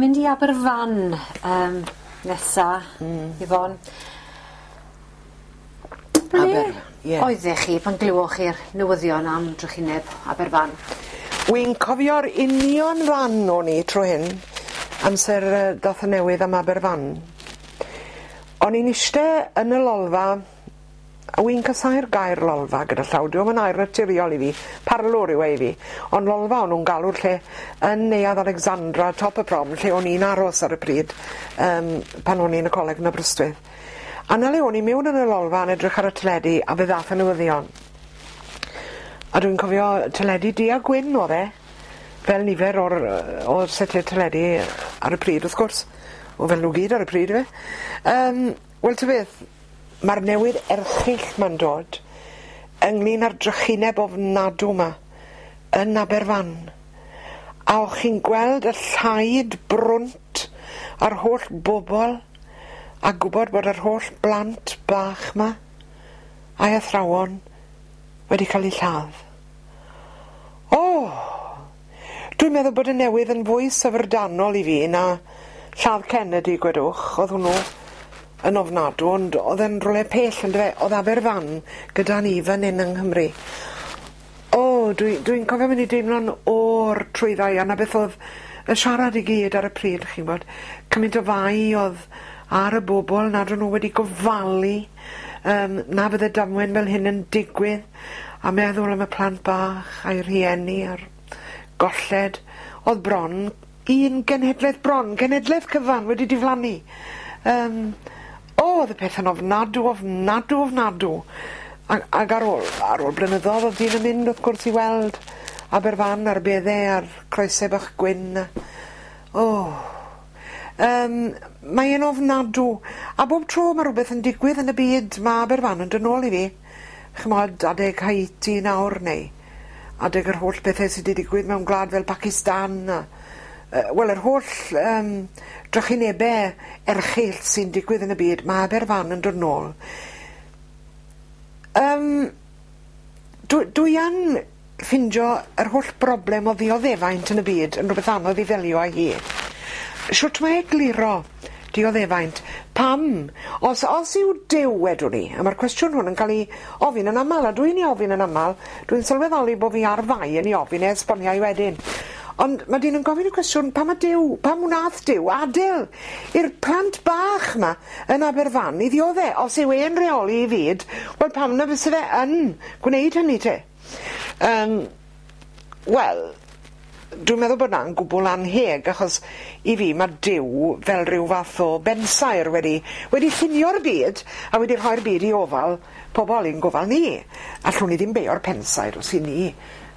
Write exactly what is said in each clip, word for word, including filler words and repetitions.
mynd i Aberfan um, nesa, mm. Yvonne. Ble Aberfan, ie. oeddech chi pan glywoch chi'r newyddion am drychineb Aberfan? Wi'n cofio'r union fan o'n i tro hyn, amser yy dath y newydd am Aberfan. O'n i'n iste yn y lolfa, a wi'n casáu'r gair lolfa gyda llaw, dyw e'm yn air naturiol i fi, parlwr yw e i fi, ond lolfa o'n nhw'n galw'r lle yn Neuadd Alexandra, top y prom, lle o'n i'n aros ar y pryd, um, pan o'n i'n y coleg yn Aberystwyth. A 'na le o'n i mewn yn y lolfa yn edrych ar y teledu, a fe ddath y newyddion. A dwi'n cofio teledu du a gwyn o'dd e, fel nifer o'r yy o'r setiau teledu ar y pryd wrth gwrs. O fel nhw gyd ar y pryd yfe. Yym wel ta beth, ma'r newydd erchyll ma'n dod ynglyn â'r drychineb ofnadw 'ma yn Aberfan. A o'ch chi'n gweld y llaid brwnt a'r holl bobol a gwbod bod yr holl blant bach 'ma a'i athrawon wedi cael eu lladd. O! Dwi'n meddwl bod y newydd yn fwy syfrdanol i fi na lladd Kennedy gwedwch, o'dd hwnnw yn ofnadw ond o'dd e'n rywle pell yndyfe? O'dd Aberfan gyda ni fan 'yn yng Nghymru. O dwi dwi'n cofio mynd i deimlo'n o'r trwyddai a 'na beth o'dd y siarad i gyd ar y pryd chi'n gwbod. Cymaint o fai o'dd ar y bobol nad o'n nw wedi gofalu yym na fydde damwen fel hyn yn digwydd a meddwl am y plant bach a'i rhieni a'r golled o'dd bron un genhedleth bron genhedleth cyfan wedi diflannu. Yym o o'dd y pethe'n ofnadw ofnadw ofnadw. Ag ag ar ôl ar ôl blynyddodd o'dd dyn yn mynd wrth gwrs i weld Aberfan a'r bedde a'r croese bach gwyn a o yym mae e'n ofnadw a bob tro ma' rwbeth yn digwydd yn y byd ma' Aberfan yn dod nôl i fi. Ch'mod adeg Haiti nawr neu adeg yr holl bethe sy 'di digwydd mewn gwlad fel Pacistan a yy wel yr holl yym drychinebe erchyll sy'n digwydd yn y byd ma' Aberfan yn dod nôl. Yym dw- dwi yn ffindio yr holl broblem o ddioddefaint yn y byd yn rwbeth anodd i ddelio â hi. Shwt mae egluro dioddefaint? Pam? Os os yw Duw wedwn i, a ma'r cwestiwn hwn yn ca'l 'i ofyn yn amal a dwi'n 'i ofyn yn amal, dwi'n sylweddoli bo' fi ar fai yn 'i ofyn e esboniai wedyn. Ond ma' dyn yn gofyn y cwestiwn pam ma' Duw, pam wnath Duw adel i'r plant bach 'ma yn Aberfan i ddiodde os yw e'n reoli 'i fyd, wel pam na fyse fe yn gwneud hynny te? Yym wel, dwi'n meddwl bod 'na'n gwbwl anheg achos i fi ma' Duw fel rhyw fath o bensaer wedi wedi llunio'r byd a wedi rhoi'r byd i ofal pobol i'n gofal ni. Allwn ni ddim beio'r pensaer os 'yn ni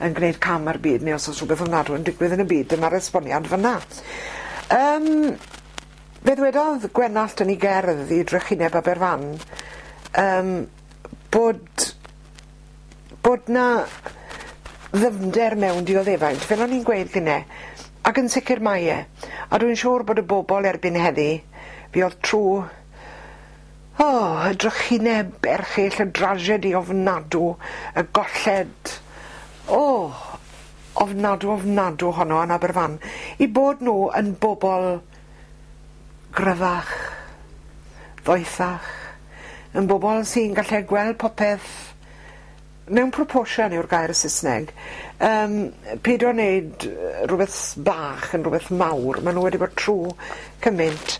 yn gwneud cam ar byd neu os o's rhywbeth ofnadw yn digwydd yn y byd dyma'r esboniad fynna. Yym fe ddwedodd Gwenallt yn 'i gerdd i Drychineb Aberfan yym bod bod 'na ddyfnder mewn dioddefaint fel o'n i'n gweud gynne ac yn sicir mae e a dwi'n siŵr bod y bobol erbyn heddi fuodd trw o y drychineb erchyll y drasiedi ofnadw y golled o ofnadw ofnadw honno yn Aberfan i bod nw yn bobol gryfach ddoethach yn bobol sy'n gallu gweld popeth mewn proportion yw'r gair Sysneg yym peidio neud yy rwbeth bach yn rwbeth mawr ma' nw wedi bod trw cyment.